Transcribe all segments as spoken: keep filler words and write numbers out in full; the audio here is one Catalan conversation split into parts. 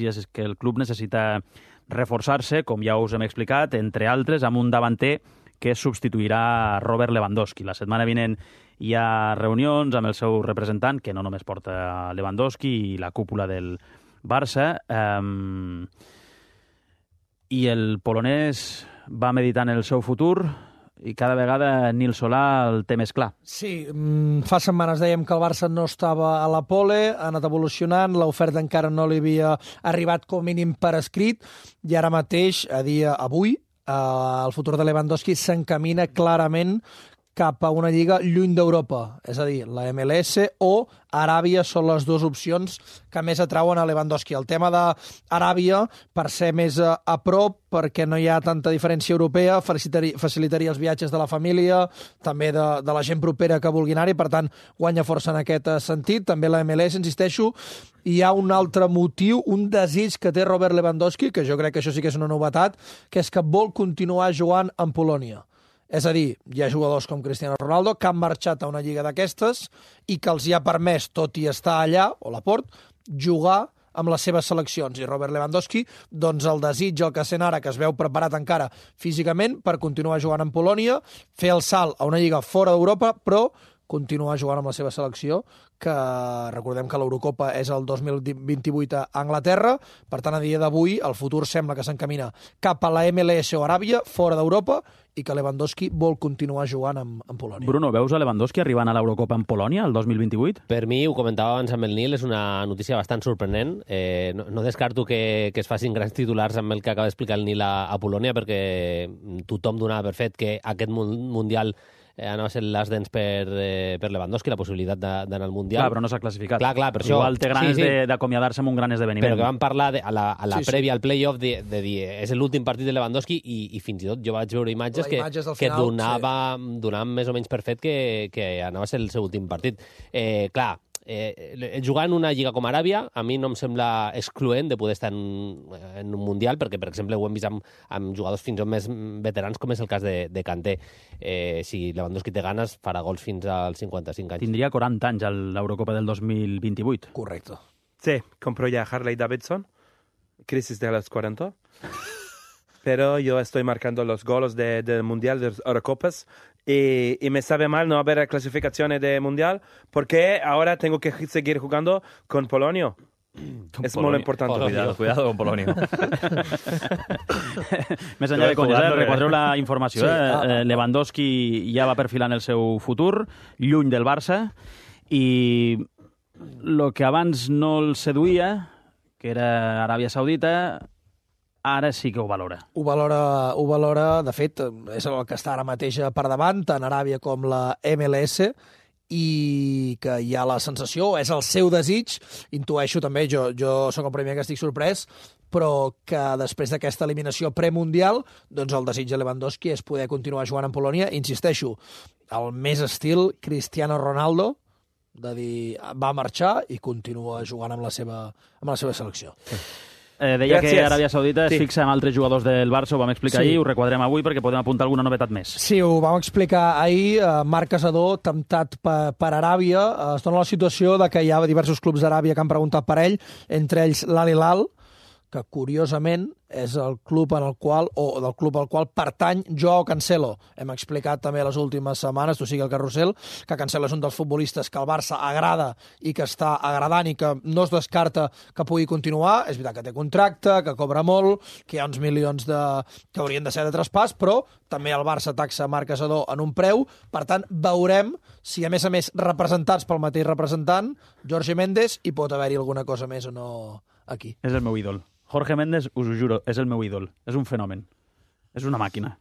és que el club necessita reforçar-se, com ja us hem explicat, entre altres, amb un davanter que substituirà Robert Lewandowski. La setmana vinent hi ha reunions amb el seu representant, que no només porta Lewandowski i la cúpula del Barça. Um, I el polonès va meditant el seu futur i cada vegada Nil Solà el té més clar. Sí, fa setmanes dèiem que el Barça no estava a la pole, ha anat evolucionant, l'oferta encara no li havia arribat com mínim per escrit, i ara mateix, a dia avui, el futur de Lewandowski s'encamina clarament cap a una lliga lluny d'Europa, és a dir, la M L S o Aràbia són les dues opcions que més atrauen a Lewandowski. El tema d'Aràbia, per ser més a, a prop, perquè no hi ha tanta diferència europea, facilitaria, facilitaria els viatges de la família, també de, de la gent propera que vulgui anar-hi, per tant, guanya força en aquest sentit. També la M L S, insisteixo, hi ha un altre motiu, un desig que té Robert Lewandowski, que jo crec que això sí que és una novetat, que és que vol continuar jugant en Polònia. És a dir, hi ha jugadors com Cristiano Ronaldo que han marxat a una lliga d'aquestes i que els hi ha permès, tot i estar allà, o Laporte, jugar amb les seves seleccions. I Robert Lewandowski, doncs el desig, el que sent ara, que es veu preparat encara físicament per continuar jugant en Polònia, fer el salt a una lliga fora d'Europa, però continuar jugant amb la seva selecció, que recordem que l'Eurocopa és el dos mil vint-i-vuit a Anglaterra, per tant, a dia d'avui, el futur sembla que s'encamina cap a la M L S o Aràbia, fora d'Europa, i que Lewandowski vol continuar jugant amb, amb Polònia. Bruno, veus a Lewandowski arribant a l'Eurocopa en Polònia el dos mil vint-i-vuit? Per mi, ho comentava abans amb el Nil, és una notícia bastant sorprenent. Eh, no, no descarto que, que es facin grans titulars amb el que acaba d'explicar el Nil a, a Polònia, perquè tothom donava per fet que aquest Mundial eh, anava a ser les dents per, eh, per Lewandowski, la possibilitat d'anar al Mundial. Clar, però no s'ha classificat. Clar, clar, per això... Igual té ganes sí, sí. d'acomiadar-se amb un gran esdeveniment. Però que vam parlar de, a la, a la sí, sí. prèvia, al play-off, de, de dir és l'últim partit de Lewandowski i, i fins i tot jo vaig veure imatges que, imatges que final, donava, sí. donaven més o menys per fet que, que anava a ser el seu últim partit. Eh, clar, Eh, jugar en una lliga com Aràbia a mi no em sembla excloent de poder estar en, en un Mundial, perquè, per exemple, ho hem vist amb, amb jugadors fins i tot més veterans, com és el cas de, de Kanté. Eh, si Lewandowski té ganes, farà gols fins als cinquanta-cinc anys. Tindria quaranta anys a l'Eurocopa del dos mil vint-i-vuit. Correcte. Sí, compró ya Harley Davidson, crisis de los cuarenta. Pero yo estoy marcando los goles del de Mundial de Eurocopas y, y me sabe mal no haber clasificaciones de Mundial porque ahora tengo que seguir jugando con Polonia. Con es Polonia. muy importante. Polonia. Cuidado, cuidado con Polonia. Més enllà de conyes, eh? Recordeu la informació. Sí, eh? ah, ah, Lewandowski ja va perfilant el seu futur, lluny del Barça, i el que abans no el seduïa, que era Aràbia Saudita, ara sí que ho valora. Ho valora, ho valora, de fet, és el que està ara mateix per davant, tant Aràbia com la M L S, i que hi ha la sensació, és el seu desig, intueixo també, jo, jo sóc el primer que estic sorprès, però que després d'aquesta eliminació premundial, doncs el desig de Lewandowski és poder continuar jugant en Polònia. Insisteixo, el més estil Cristiano Ronaldo, de dir, va marxar i continua jugant amb la seva, amb la seva selecció. Eh, deia Gràcies. que Aràbia Saudita es Sí. fixa en altres jugadors del Barça, ho vam explicar Sí. ahir, ho requadrem avui perquè podem apuntar alguna novetat més. Sí, ho vam explicar ahir. Eh, Marc Casador, temptat per, per Aràbia, eh, es dona la situació de que hi ha diversos clubs d'Aràbia que han preguntat per ell, entre ells l'Al Hilal, que curiosament és el club en el qual, o del club al qual pertany Joao Cancelo. Hem explicat també les últimes setmanes, tu sigui el carrusel, que Cancelo és un dels futbolistes que el Barça agrada i que està agradant i que no es descarta que pugui continuar. És veritat que té contracte, que cobra molt, que hi ha uns milions de... que haurien de ser de traspàs, però també el Barça taxa Marc Casador en un preu. Per tant, veurem si, a més a més, representats pel mateix representant, Jorge Méndez, hi pot haver-hi alguna cosa més o no aquí. És el meu ídol. Jorge Méndez, us ho juro, és el meu ídol. És un fenomen. És una màquina.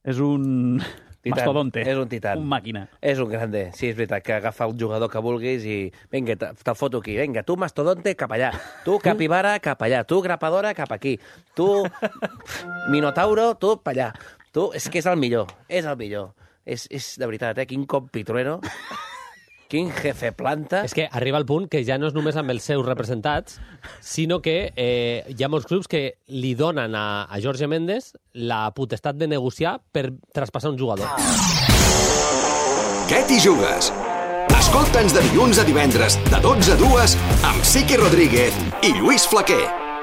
És un Titan. mastodonte. És un titan. Un màquina. És un grande, sí, és veritat, que agafa el jugador que vulguis i vinga, te- te'l foto aquí, vinga, tu mastodonte cap allà, tu capibara cap allà, tu grapadora cap aquí, tu minotauro, tu pa allà. Tu, és que és el millor, és el millor. És, és de veritat, eh? Quin compitrueno, quin jefe planta. És que arriba al punt que ja no és només amb els seus representats, sinó que eh, hi ha molts clubs que li donen a, a Jorge Méndez la potestat de negociar per traspassar un jugador. Què t'hi jugues? A Escolta'ns de dilluns a divendres, de dotze a dues, amb Sique Rodríguez i Lluís Flaquer.